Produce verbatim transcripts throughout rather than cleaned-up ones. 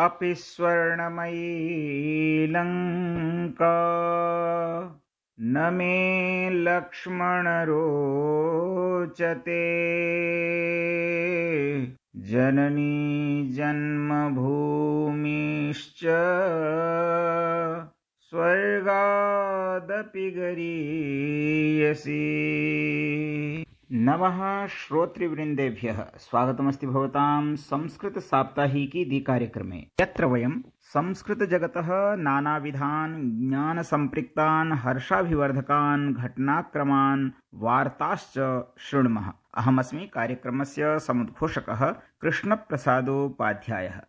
अपि स्वर्णमयी लङ्का न मे लक्ष्मण रोचते। जननी जन्मभूमिश्च स्वर्गादपि गरीयसी। नमः श्रोतृवृन्देभ्यः स्वागतमस्ति भवतां संस्कृत साप्ताहिकी दि कार्यक्रमे, यत्र वयं संस्कृत जगतः नानाविधान् ज्ञान संपृक्तान् हर्षाभिवर्धकान् घटनाक्रमान् वार्ताश्च शृणुमः। अहमस्मि कार्यक्रमस्य समुद्घोषकः कृष्णप्रसादोपाध्यायः।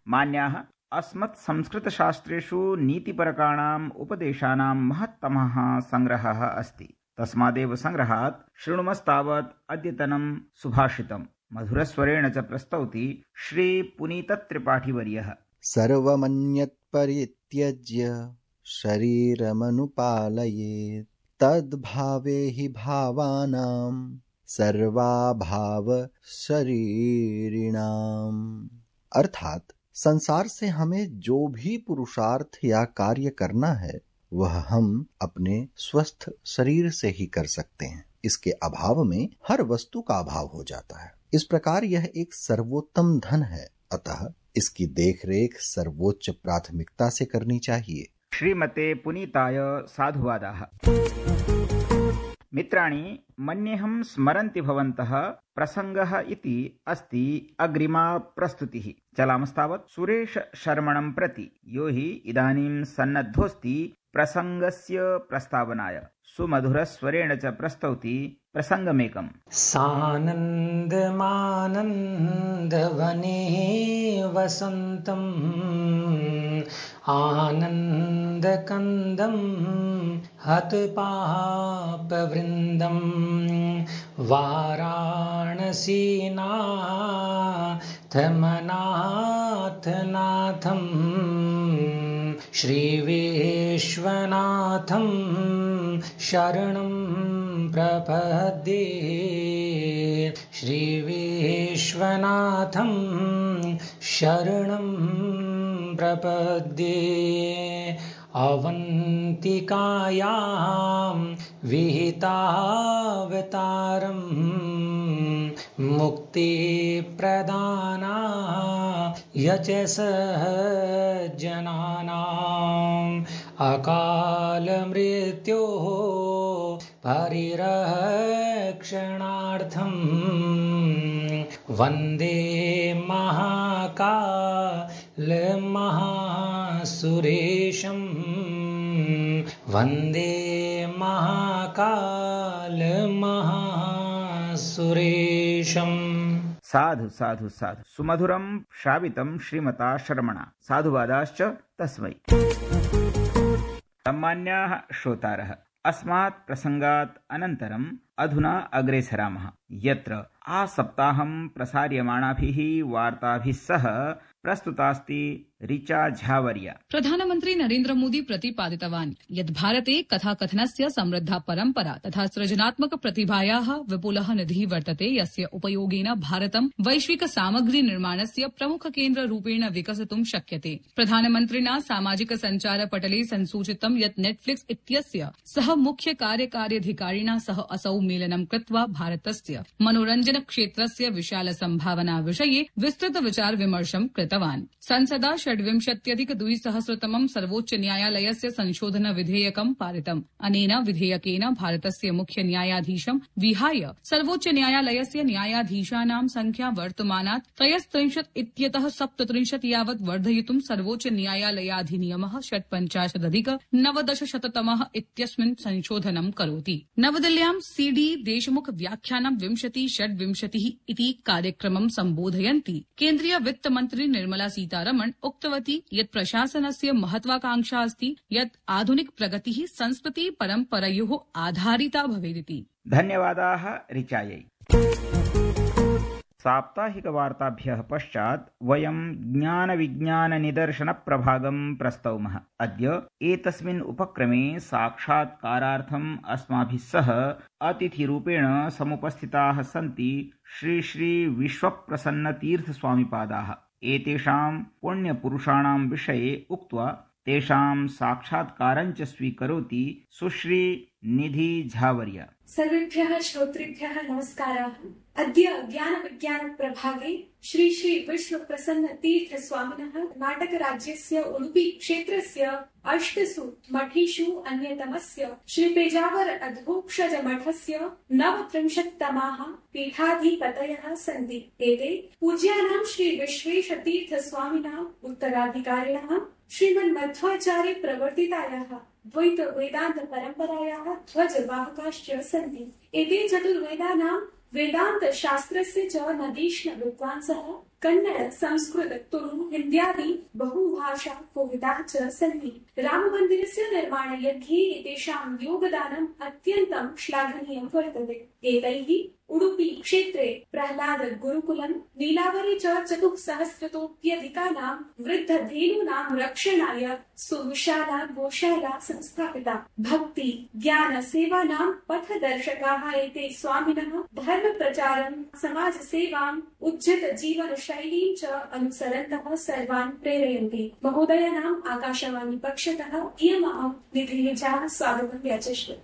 मान्याः, अस्मत् संस्कृतशास्त्रेषु नीतिपरकाणाम् उपदेशानां महत्तमः सङ्ग्रहः अस्ति। तस्मादेव सङ्ग्रहात् शृणुमस्तावत् अद्यतनं सुभाषितम् मधुरस्वरेण च प्रस्तौति श्री पुनीतत्रिपाठिवर्यः। सर्वमन्यत् परित्यज्य शरीरमनुपालयेत् तद्भावे हि भावानां सर्वाभाव शरीरिणाम्। अर्थात संसार से हमें जो भी पुरुषार्थ या कार्य करना है वह हम अपने स्वस्थ शरीर से ही कर सकते हैं। इसके अभाव में हर वस्तु का अभाव हो जाता है। इस प्रकार यह एक सर्वोत्तम धन है, अतः इसकी देखरेख सर्वोच्च प्राथमिकता से करनी चाहिए। श्रीमते पुनीताय साधुवादाः। मित्राणि, मन्येऽहं स्मरन्ति भवन्तः प्रसङ्गः इति अस्ति अग्रिमा प्रस्तुतिः। चलामस्तावत् सुरेश शर्मणं प्रति, यो हि इदानीं सन्नद्धोऽस्ति प्रसङ्गस्य प्रस्तावनाय। सुमधुरस्वरेण च प्रस्तौति प्रसङ्गमेकम्। सानन्दमानन्दवने वसन्तम् आनन्दकन्दं हतपापवृन्दं वाराणसीनाथमनाथनाथं श्रीविश्वनाथं शरणं प्रपद्ये। श्रीविश्वनाथं शरणं प्रपद्ये। अवन्तिकायां विहितावतारं मुक्तिप्रदानाय च सहजनानाम् अकालमृत्योः परिरक्षणार्थं वन्दे महाकालमहासुरेशं। वन्दे महाकालमहासुरेशम्। साधु साधु साधु। सुमधुरं श्रावितं श्रीमता शर्मणा। साधुवादाश्च तस्मै। सम्मान्याः श्रोतारः, अस्मात् प्रसङ्गात् अनन्तरम् अधुना अग्रे सरामः, यत्र आसप्ताहं प्रसार्यमाणाभिः वार्ताभिः सह प्रस्तुतास्ति ऋचा झावर्या। प्रधानमन्त्री नरेन्द्र मोदी प्रतिपादितवान् यत् भारते कथाकथनस्य समृद्धा परम्परा तथा सृजनात्मक प्रतिभायाः विपुलः निधिः वर्तते, यस्य उपयोगेन भारतं वैश्विक सामग्री निर्माणस्य प्रमुख केन्द्ररूपेण विकसितुं शक्यते। प्रधानमन्त्रिणा सामाजिक सञ्चार पटले संसूचितं यत् नेटफ्लिक्स इत्यस्य सह मुख्य कार्यकार्यधिकारिणा सह असौ मेलनं कृत्वा भारतस्य मनोरञ्जन क्षेत्रस्य विशाल सम्भावना विषये विस्तृत विचार विमर्शं कृतवान्। संसदा षड्विंशत्यधिक द्विसहस्रतमं सर्वोच्च न्यायालयस्य संशोधन विधेयकं पारितम्। अनेन विधेयकेन भारतस्य मुख्य न्यायाधीशं विहाय सर्वोच्च न्यायालयस्य न्यायाधीशानां संख्या वर्तमानात् त्रयस्त्रिंशत् इत्यतः सप्तत्रिंशत् यावत् वर्धयितुं सर्वोच्च न्यायालयाधिनियमः षट्पञ्चाशदधिक नवदशशततमः इत्यस्मिन् संशोधनं करोति। नवदिल्ल्यां सी डी देशमुख व्याख्यानं विंशति षड्विंशतिः इति कार्यक्रमं सम्बोधयन्ती केन्द्रीय वित्तमन्त्री निर्मला सीतारमण उक्तवती यत् प्रशासनस्य महत्वाकांक्षा अस्ति यत् आधुनिक प्रगतिः संस्कृति परम्परयोः आधारिता भवेदिति। धन्यवादाः ऋचायै। साप्ताहिकवार्ताभ्यः पश्चात् वयं ज्ञानविज्ञाननिदर्शनप्रभागं प्रस्तौमः। अद्य एतस्मिन् उपक्रमे साक्षात्कारार्थम् अस्माभिः सह अतिथिरूपेण समुपस्थिताः सन्ति श्री श्री विश्वप्रसन्नतीर्थस्वामिपादाः। एतेषां पुण्यपुरुषाणां विषये उक्त्वा तेषां साक्षात्कारञ्च स्वीकरोति सुश्री निधि झावर्य। सर्वेभ्यः श्रोतृभ्यः नमस्काराः। अद्य ज्ञान विज्ञान प्रभागे श्री श्री विश्व प्रसन्न तीर्थ स्वामिनः कर्णाटक राज्यस्य उडुपी क्षेत्रस्य अष्टसु मठेषु अन्यतमस्य श्री पेजावर अधोक्षज मठस्य नवत्रिंशत्तमाः पीठाधिपतयः सन्ति। एते पूज्यानां श्री विश्वेश तीर्थ स्वामिनः उत्तराधिकारिणः श्रीमन्मध्वाचार्य प्रवर्तितायाः द्वैत वेदांत परम्परायाः ध्वजवाहकाश्च सन्ति। एते चतुर्वेदानां वेदांत शास्त्रस्य च नदीष्ण विद्वांसः कन्नड संस्कृत तुलु हिन्द्यादि बहुभाषा कोविदाः च सन्ति। राममन्दिरस्य निर्माणयज्ञे एतेषां योगदानम् अत्यन्तं श्लाघनीयं वर्तते। एतैः उडुपी क्षेत्रे प्रह्लाद गुरुकुलम् नीलावरे च चतुःसहस्रतोऽप्यधिकानां वृद्धधेनूनां रक्षणाय सुविशाला गोशाला संस्थापिता। भक्ति ज्ञान सेवानां पथदर्शकाः एते स्वामिनः धर्म प्रचारं समाज सेवाम् उज्जत जीवन शैलीं च अनुसरन्तः सर्वान् प्रेरयन्ति। महोदयानाम् आकाशवाणी पक्षतः इयम् अहं निधिः झा स्वागतं याचिष्ये।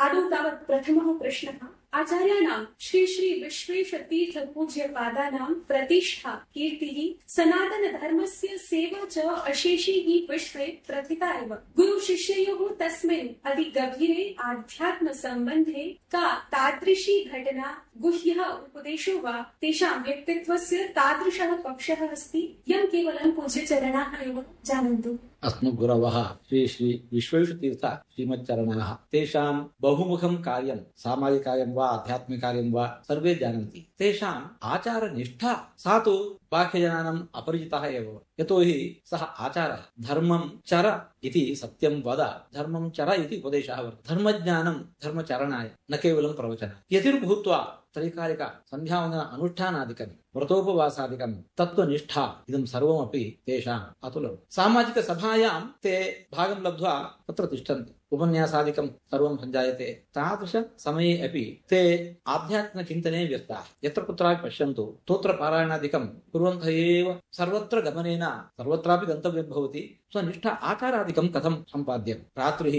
आदौ तावत् प्रथमः प्रश्नः। आचार्याणां श्री श्री विश्वेश तीर्थ पूज्य पादानां प्रतिष्ठा कीर्तिः सनातन धर्मस्य सेवा च अशेषे हि विश्वे प्रथिता एव। गुरु शिष्ययोः तस्मिन् अधिगभीरे आध्यात्म सम्बन्धे का तादृशी घटना गुह्यः उपदेशो वा तेषां व्यक्तित्वस्य तादृशः पक्षः अस्ति यं केवलं पूज्य चरणाः एव जानन्तु। अस्मद्गुरवः श्री श्री विश्वेशतीर्थ श्रीमच्चरणाः तेषां बहुमुखं कार्यं सामाजिककार्यं वा आध्यात्मिककार्यं वा सर्वे जानन्ति। तेषाम् आचारनिष्ठा सा तु बाह्यजनानाम् अपरिचितः एव। यतोहि सः आचारः धर्मं चर इति सत्यं वद, धर्मं चर इति उपदेशः वर्तते। धर्मज्ञानं धर्मचरणाय न केवलं प्रवचनाय। यतिर्भूत्वा त्रैकालिक सन्ध्यावन्दन अनुष्ठानादिकं व्रतोपवासादिकं तत्त्वनिष्ठा इदं सर्वमपि तेषाम् अतुलं। सामाजिक सभायां ते भागं लब्ध्वा तत्र तिष्ठन्ति। उपन्यासादिकं सर्वं सञ्जायते। तादृश समये अपि ते आध्यात्मिकचिन्तने व्यस्ताः। यत्र कुत्रापि पश्यन्तु स्तोत्रपारायणादिकं कुर्वन्तः एव सर्वत्र गमनेन सर्वत्रापि गन्तव्यं भवति। स्वनिष्ठा आचारादिकं कथं सम्पाद्यं। रात्रिः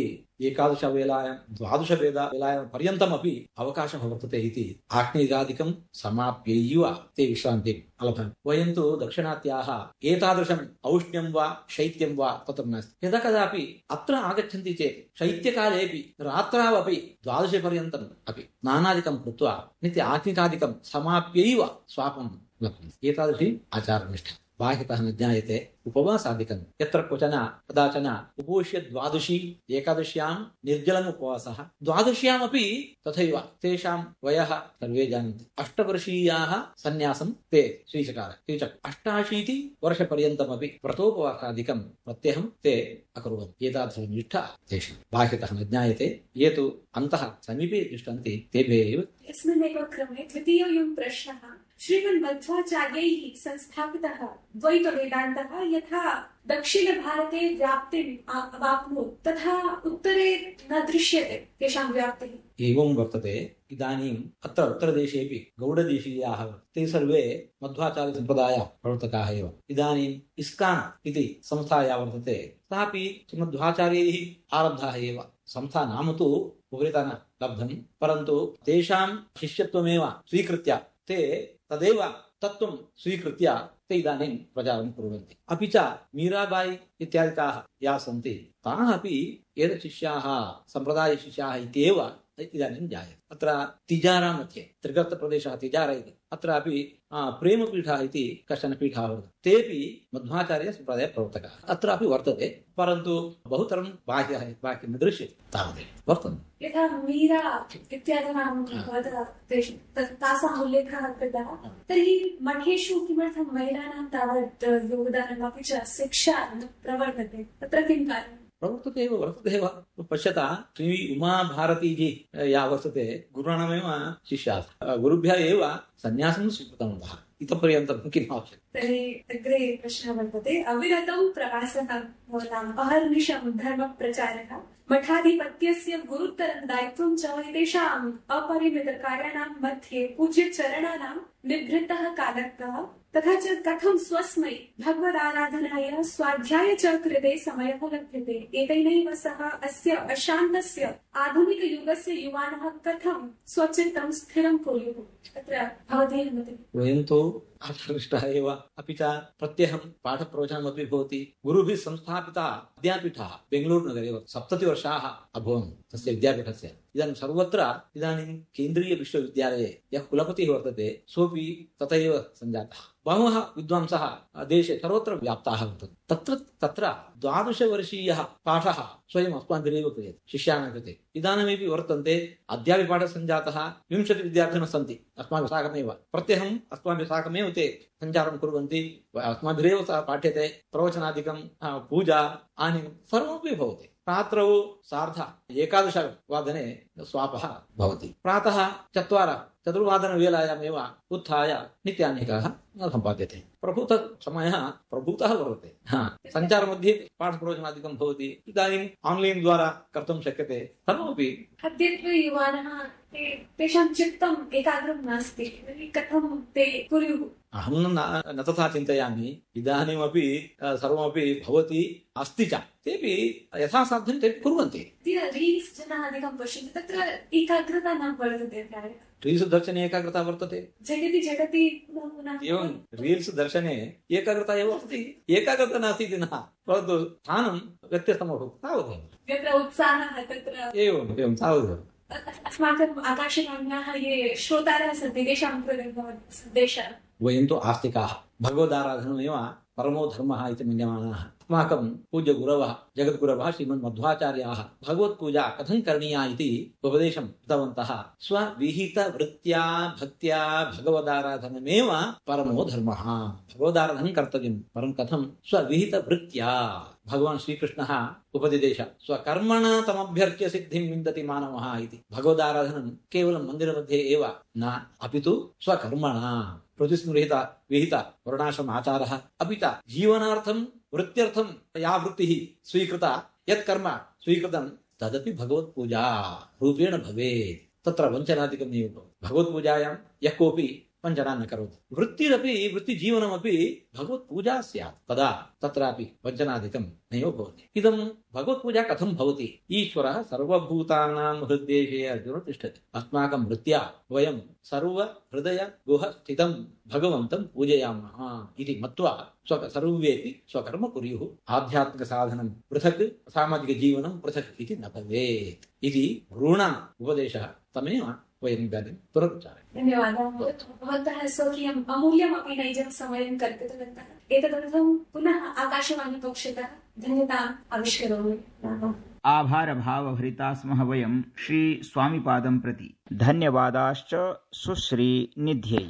एकादशवेलायां द्वादशवेलायां पर्यन्तमपि अवकाशः वर्तते इति आग्नेयादिकं समाप्यैव ते विश्रान्तिम् अलभन्। वयं तु दक्षिणात्याः एतादृशम् औष्ण्यं वा शैत्यं वा तत्र नास्ति। यदा कदापि अत्र आगच्छन्ति चेत् शैत्यकालेऽपि रात्रावपि द्वादशपर्यन्तम् अपि स्नानादिकं कृत्वा नित्य आत्मिकादिकं समाप्यैव स्वापं लभन्ते। एतादृशी आचारनिष्ठा बाह्यतः न ज्ञायते। उपवासादिकं यत्र क्वचन कदाचन उपोष्य द्वादशी एकादश्यां निर्जलम् उपवासः, द्वादश्यामपि तथैव। तेषां वयः सर्वे जानन्ति। अष्टवर्षीयाः सन्यासं ते स्वीचकार स्वीचक् अष्टाशीति वर्षपर्यन्तमपि व्रतोपवासादिकं प्रत्यहं ते अकुर्वन्। एतादृशनिष्ठा तेषां बाह्यतः न ज्ञायते। ये तु अन्तः समीपे तिष्ठन्ति तेभ्यः एव। अस्मिन्नेव क्रमे द्वितीयोऽयं प्रश्नः। श्रीमन्मध्वाचार्यैः संस्थापितः द्वैतवेदान्तः यथा दक्षिणभारते व्याप्तिम् अवाप्नोत् तथा उत्तरे न दृश्यते तेषां व्याप्तिः। एवं वर्तते। इदानीम् अत्र उत्तरदेशेऽपि गौडदेशीयाः ते सर्वे मध्वाचार्यसम्प्रदाय प्रवर्तकाः एव। इदानीम् इस्कान् इति संस्था या वर्तते सापि मध्वाचार्यैः आरब्धाः एव। संस्था नाम तु उपरितः न लब्धम्, परन्तु तेषां शिष्यत्वमेव स्वीकृत्य ते तदेव तत्त्वं स्वीकृत्य ते इदानीं प्रचारं कुर्वन्ति। अपि च मीराबाई इत्यादिकाः याः सन्ति ताः अपि एतशिष्याः सम्प्रदायशिष्याः इत्येव इदानीं जायते। अत्र तिजारा मध्ये त्रिगर्तप्रदेशः तिजारा इति अत्रापि प्रेमपीठः इति कश्चन पीठः वर्तते। तेपि मध्वाचार्यसम्प्रदाय प्रवर्तकाः अत्रापि वर्तते, परन्तु बहुतरं बाह्यः बाह्यं न दृश्यते तावदेव वर्तन्ते। यथा मीरा इत्यादीनां तासाम् उल्लेखः कृतः, तर्हि मठेषु किमर्थं महिलानां तावत् योगदानम् अपि च शिक्षा न प्रवर्तते, तत्र किं कार्यम्? प्रवर्तते एव वर्तते एव। पश्यता श्री उमाभारतीजी या वर्तते गुरुणामेव शिष्याः, गुरुभ्यः एव सन्यासं स्वीकृतवन्तः। इतः पर्यन्तं किम् आवश्यकम्? तर्हि अग्रे प्रश्नः वर्तते। अविरतौ प्रवासः भवताम् अहर्निशं धर्मप्रचारः मठाधिपत्यस्य गुरुतरं दायित्वं च एतेषाम् अपरिमितकार्याणां मध्ये पूज्यचरणानां निभृतः कालकः तथा च कथं स्वस्मै भगवदाराधनाय स्वाध्याय च कृते समयः लभ्यते। एतेनैव सह अस्य अशान्तस्य आधुनिकयुगस्य युवानः कथं स्वचित्तं स्थिरं कुर्युः। तत्र भवदेव मतिः। वयं तु आकृष्टः एव, अपि च प्रत्यहं पाठप्रवचनमपि भवति। गुरुभिः संस्थापितः विद्यापीठः बेङ्गलूरुनगरे सप्ततिवर्षाः अभवन् तस्य विद्यापीठस्य। इदानीं सर्वत्र इदानीं केन्द्रीयविश्वविद्यालये यः कुलपतिः वर्तते सोऽपि तथैव सञ्जातः। बहवः विद्वांसः देशे सर्वत्र व्याप्ताः वर्तन्ते। तत्र तत्र द्वादशवर्षीयः पाठः स्वयम् अस्माभिरेव क्रियते शिष्याणां कृते। इदानीमपि वर्तन्ते, अद्यापि पाठः सञ्जातः। विंशति विद्यार्थिनः सन्ति अस्माभिः साकमेव। प्रत्यहम् अस्माभिः साकमेव ते सञ्चारं कुर्वन्ति। अस्माभिरेव सः पाठ्यते। प्रवचनादिकं, पूजा, आनीनं सर्वमपि भवति। रात्रौ सार्ध एकादशवादने स्वापः भवति। प्रातः चत्वार चतुर्वादनवेलायामेव उत्थाय नित्यानेकः सम्पाद्यते। प्रभूतः समयः प्रभूतः वर्तते। सञ्चारमध्ये पाठप्रवचनादिकं भवति। इदानीम् आन्लैन् द्वारा कर्तुं शक्यते। सर्वमपि अद्यत्वे युवानः तेषां चित्तम् एकाग्रं नास्ति, कथं ते कुर्युः? अहं न तथा चिन्तयामि। इदानीमपि सर्वमपि भवति, अस्ति च। तेपि यथा साध्यं ते कुर्वन्ति। रील्स् जनाः अधिकं पश्यन्ति, तत्र एकाग्रता न वर्तते प्रायः। रील्स् दर्शने एकाग्रता वर्तते। झटिति झटिति एवं रील्स् दर्शने एकाग्रता एव अस्ति। एकाग्रता नास्ति इति न, परन्तु स्थानं व्यत्यस्तमभूत् तावदेव। यत्र उत्साहः तत्र एवम् एवं तावदेव। अस्माकम् आकाशवाण्याः ये श्रोतारः सन्ति तेषां कृते सन्देशः। वयं तु आस्तिकाः। भगवदाराधनमेव परमो धर्मः इति मन्यमानाः। अस्माकं पूज्य गुरवः जगद्गुरवः श्रीमन्मध्वाचार्याः भगवत्पूजा कथं करणीया इति उपदेशं कृतवन्तः। स्वविहितवृत्त्या भक्त्या भगवदाराधनमेव परमो धर्मः। भगवदाराधनं कर्तव्यं, परं कथं? स्वविहितवृत्त्या। भगवान् श्रीकृष्णः उपदिदेश स्वकर्मणा तमभ्यर्च्य सिद्धिं विन्दति मानवः इति। भगवदाराधनं केवलं मन्दिरमध्ये एव न, अपि तु स्वकर्मणा प्रतिस्मृहित विहित वर्णाश्रम आचारः, अपि च जीवनार्थं वृत्त्यर्थं या वृत्तिः स्वीकृता, यत् कर्म स्वीकृतं तदपि भगवत्पूजा रूपेण भवेत्। तत्र वञ्चनादिकं नैव भवति। भगवत्पूजायां यः कोऽपि वञ्चना न करोति। वृत्तिरपि वृत्तिजीवनमपि भगवत्पूजा स्यात्, तदा तत्रापि वञ्चनादिकं नैव भवति। इदं भगवत्पूजा कथं भवति? ईश्वरः सर्वभूतानां हृद्देशे अर्जुन तिष्ठति। अस्माकं वृत्त्या वयं सर्वहृदय गुह स्थितं भगवन्तं पूजयामः इति मत्वा स्व सर्वेपि स्वकर्म कुर्युः। आध्यात्मिकसाधनं पृथक्, सामाजिकजीवनं पृथक् इति न भवेत् इति गुरूणाम् उपदेशः। तमेव वयम् इदानीं पुनरुच्चारयामः। धन्यवादः। भवन्तः स्वकीयम् अमूल्यमपि नैजं समयं कल्पितवन्तः। एतदर्थं पुनः आकाशवाणीपक्षतः धन्यताम् आविष्करोमि। आभार भावभरिता स्मः वयं श्री स्वामिपादं प्रति। धन्यवादाश्च सुश्री निध्यै।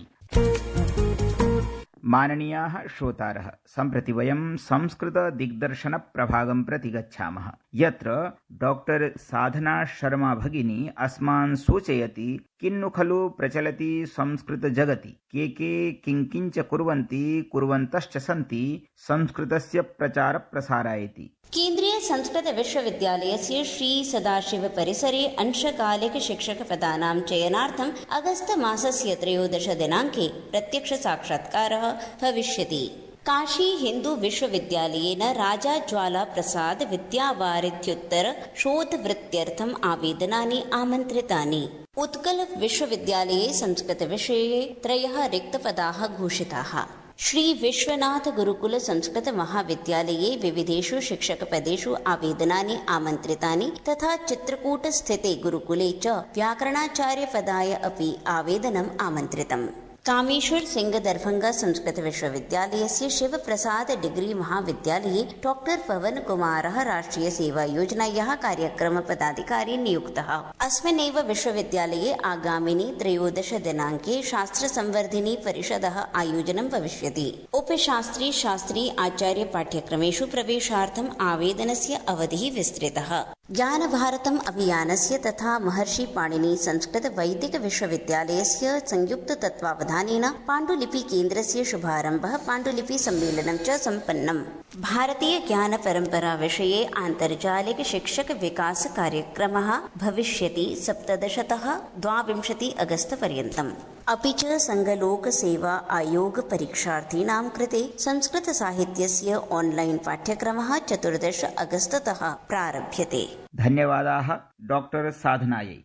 माननीयाः श्रोतारः, सम्प्रति वयं संस्कृत दिग्दर्शन प्रभागं प्रति गच्छामः, यत्र डॉक्टर साधना शर्मा भगिनी अस्मान् सूचयति किन्नु खलु प्रचलति संस्कृत जगति, के के किंकिंच कुर्वन्ति कुर्वन्तश्च सन्ति संस्कृतस्य प्रचार प्रसारायति। केन्द्रीय संस्कृत विश्वविद्यालयस्य श्री सदाशिव परिसरे अंशकालिक शिक्षक पदानां चयनार्थम् अगस्त मासस्य त्रयोदश दिनाङ्के प्रत्यक्ष साक्षात्कारः भविष्यति। काशी हिन्दू विश्वविद्यालयेन राजा ज्वाला प्रसाद विद्यावारिध्युत्तर शोधवृत्त्यर्थम् आवेदनानि आमन्त्रितानि। उत्कल विश्वविद्यालये संस्कृत विषये त्रयः रिक्तपदाः घोषिताः। श्री विश्वनाथ गुरुकुल संस्कृत महाविद्यालये विविधेषु शिक्षकपदेषु आवेदनानि आमन्त्रितानि तथा चित्रकूट स्थिते गुरुकुले च व्याकरणाचार्यपदाय अपि आवेदनम् आमन्त्रितम्। कामेश्वर सिंह दरभंगा संस्कृत विश्वविद्यालयस्य शिव प्रसाद डिग्री महाविद्यालये डॉक्टर पवन कुमारः राष्ट्रिय सेवा योजनायाः कार्यक्रम पदाधिकारी नियुक्तः। अस्मिन्नेव विश्वविद्यालये आगामिनि त्रयोदश दिनाङ्के शास्त्र संवर्धिनी परिषदः आयोजनं भविष्यति। उपशास्त्री शास्त्री आचार्य पाठ्यक्रमेषु प्रवेशार्थम् आवेदनस्य अवधिः विस्तृतः। ज्ञान भारतम् अभियानस्य तथा महर्षि पाणिनि संस्कृत वैदिक विश्वविद्यालयस्य संयुक्त तत्त्वावधानेन पाण्डुलिपि केन्द्रस्य शुभारम्भः पाण्डुलिपि सम्मेलनं च सम्पन्नम्। भारतीय ज्ञान परम्परा विषये आन्तर्जालिक शिक्षक विकास कार्यक्रमः भविष्यति सप्तदशतः द्वाविंशति अगस्त पर्यन्तम्। अपि च संघलोक सेवा आयोग परीक्षार्थीनां कृते संस्कृत साहित्यस्य ऑनलाइन पाठ्यक्रमः चतुर्दश अगस्ततः प्रारभ्यते। धन्यवादाः डॉक्टर साधनायै।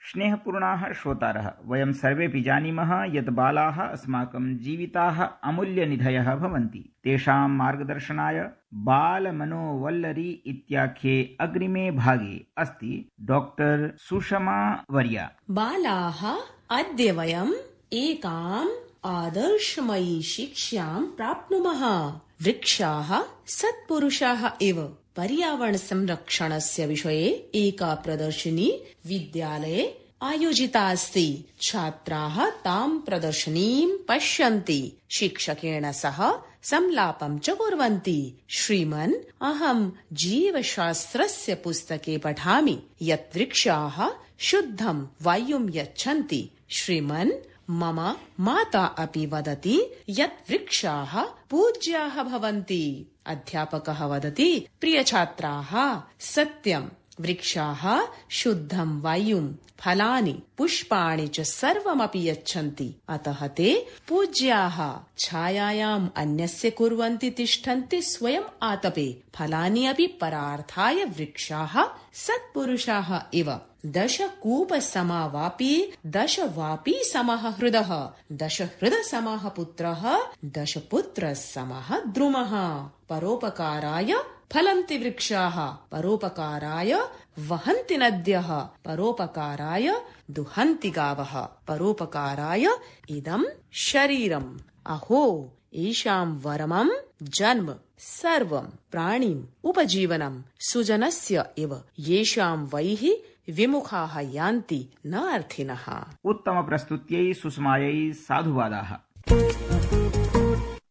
स्नेहपूर्णाः श्रोतारः, वयं सर्वेपि जानीमः यत् बालाः अस्माकं जीविताः अमूल्यनिधयः भवन्ति। तेषां मार्गदर्शनाय बालमनोवल्लरी इत्याख्ये अग्रिमे भागे अस्ति डॉक्टर सुषमा वर्या। बालाः, अद्य वयम् एकाम् आदर्शमयी शिक्षां प्राप्नुमः। वृक्षाः सत्पुरुषाः इव पर्यावरण संरक्षणस्य विषये एका प्रदर्शिनी विद्यालये आयोजिता अस्ति। छात्राः तां प्रदर्शनीं पश्यन्ति, शिक्षकेण सह संलापं च कुर्वन्ति। श्रीमन्, अहं जीवशास्त्रस्य पुस्तके पठामि यत् वृक्षाः शुद्धं वायुं यच्छन्ति। श्रीमन्, मम माता अपि वदति यत् वृक्षाः पूज्याः भवन्ति। अध्यापकः वदति, प्रिय छात्राः, सत्यं, वृक्षाः शुद्धं वायुं, फलानि, पुष्पाणि च सर्वमपि यच्छन्ति, अतः ते पूज्याः। छायायाम् अन्यस्य कुर्वन्ति तिष्ठन्ति स्वयम् आतपे। फलानि अपि परार्थाय वृक्षाः सत्पुरुषाः इव। दश कूप समा वापी, दश वापी समः हृदः, दश हृद समः पुत्रः, दश पुत्र समः द्रुमः। परोपकाराय फलन्ति वृक्षाः, परोपकाराय वहन्ति नद्यः, परोपकाराय दुहन्ति गावः, परोपकाराय इदं शरीरम्। अहो, ईशां वरमं जन्म सर्वं प्राणिम् उपजीवनं सुजनस्य इव, येषां वैः विमुखाः यान्ति न अर्थिनः। उत्तम प्रस्तुत्यै सुषमायै साधुवादाः।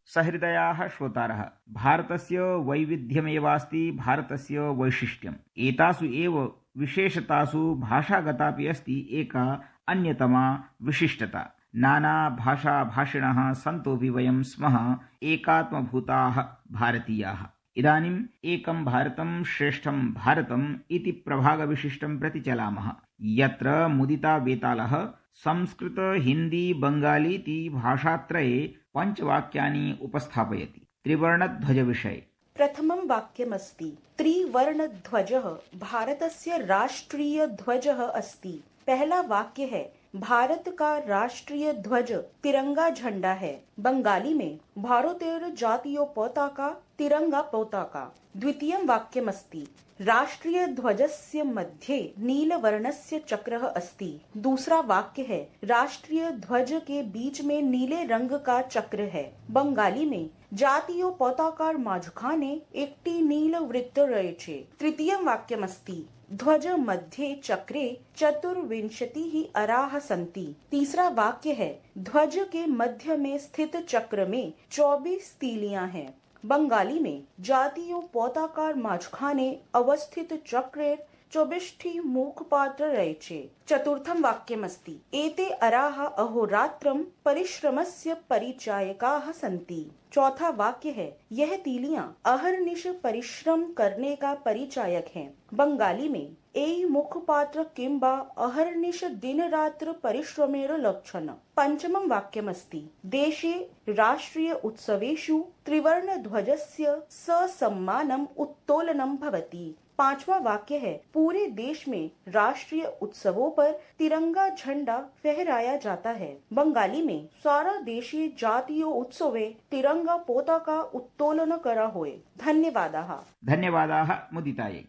सहृदयाः श्रोतारः, भारतस्य वैविध्यमेवास्ति भारतस्य वैशिष्ट्यम्। एतासु एव विशेषतासु भाषागतापि अस्ति एका अन्यतमा विशिष्टता। नाना भाषा भाषिणः सन्तोऽपि वयं स्मः एकात्मभूताः भारतीयाः। इदानीम् एकं भारतं श्रेष्ठं भारतम् इति प्रभागविशिष्टं प्रति चलामः, यत्र मुदिता वेतालः संस्कृत हिंदी बंगालीति भाषात्रये पञ्चवाक्यानि उपस्थापयति। त्रिवर्णध्वज विषये प्रथमं वाक्यमस्ति, त्रिवर्णध्वजः भारतस्य राष्ट्रीय ध्वजः अस्ति। पहला वाक्य है, भारत का राष्ट्रीय ध्वज तिरंगा झंडा है। बंगाली में भारतेर जातीय पताका तिरंगा पताका। द्वितीयं वाक्यमस्ति, राष्ट्रीय ध्वजस्य मध्ये नीलवर्णस्य चक्रः अस्ति। दूसरा वाक्य है, राष्ट्रीय ध्वज के बीच में नीले रंग का चक्र है। बंगाली में जातीय पताकार माझखाने एकटी नील वृत्त रयेछे। तृतीयं वाक्यमस्ति, ध्वज मध्ये चक्रे चतुर्विंशतिः अराः सन्ति। तीसरा वाक्य है, ध्वज के मध्य में स्थित चक्र में चौबीस तीलियां हैं। बंगाली में जातीय पताकार माझखाने अवस्थित चक्रे चौबिष्ठी मुखपात्र रयेछे। चतुर्थं वाक्यमस्ति, एते अराः अहोरात्रं परिश्रमस्य परिचायकाः सन्ति। चौथा वाक्य है, यह तीलियां अहर्निश परिश्रम करने का परिचायक हैं। बंगाली में एई मुखपात्र किंबा अहर्निश दिन रात्र परिश्रमेर लक्षण। पंचमं वाक्यमस्ति, देशे राष्ट्रीय उत्सवेषु त्रिवर्ण ध्वजस्य ससम्मानम् उत्तोलनं भवति। पांचवा वाक्य है, पूरे देश में राष्ट्रीय उत्सवों पर तिरंगा झंडा फहराया जाता है। बंगाली में सारा देशे जातीय उत्सवे तिरंगा पोताका उत्तोलन करा होय। धन्यवादाः। धन्यवादाः मुदितायै।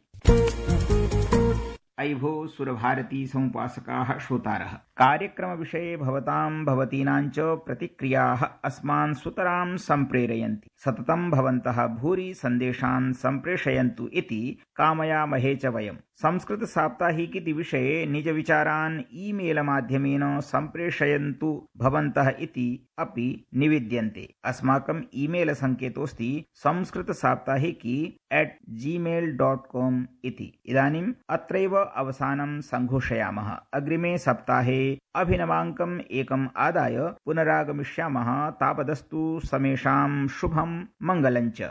अयिभो सुरभारती समुपासकाः श्रोतारः, कार्यक्रमविषये भवतां भवतीनां च प्रतिक्रियाः अस्मान् सुतरां सम्प्रेरयन्ति। सततं भवन्तः भूरि सन्देशान् सम्प्रेषयन्तु इति कामयामहे च वयम्। संस्कृत साप्ताहिकीति विषये निज विचारान् ईमेल माध्यमेन सम्प्रेषयन्तु भवन्तः इति अपि निवेद्यन्ते। अस्माकं ईमेल सङ्केतोऽस्ति Sanskrit Saptahiki at Gmail dot com इति। इदानीम् अत्रैव अवसानं सङ्घोषयामः। अग्रिमे सप्ताहे अभिनवाङ्कम् एकम् आदाय पुनरागमिष्यामः। तावदस्तु समेषां शुभं मङ्गलञ्च।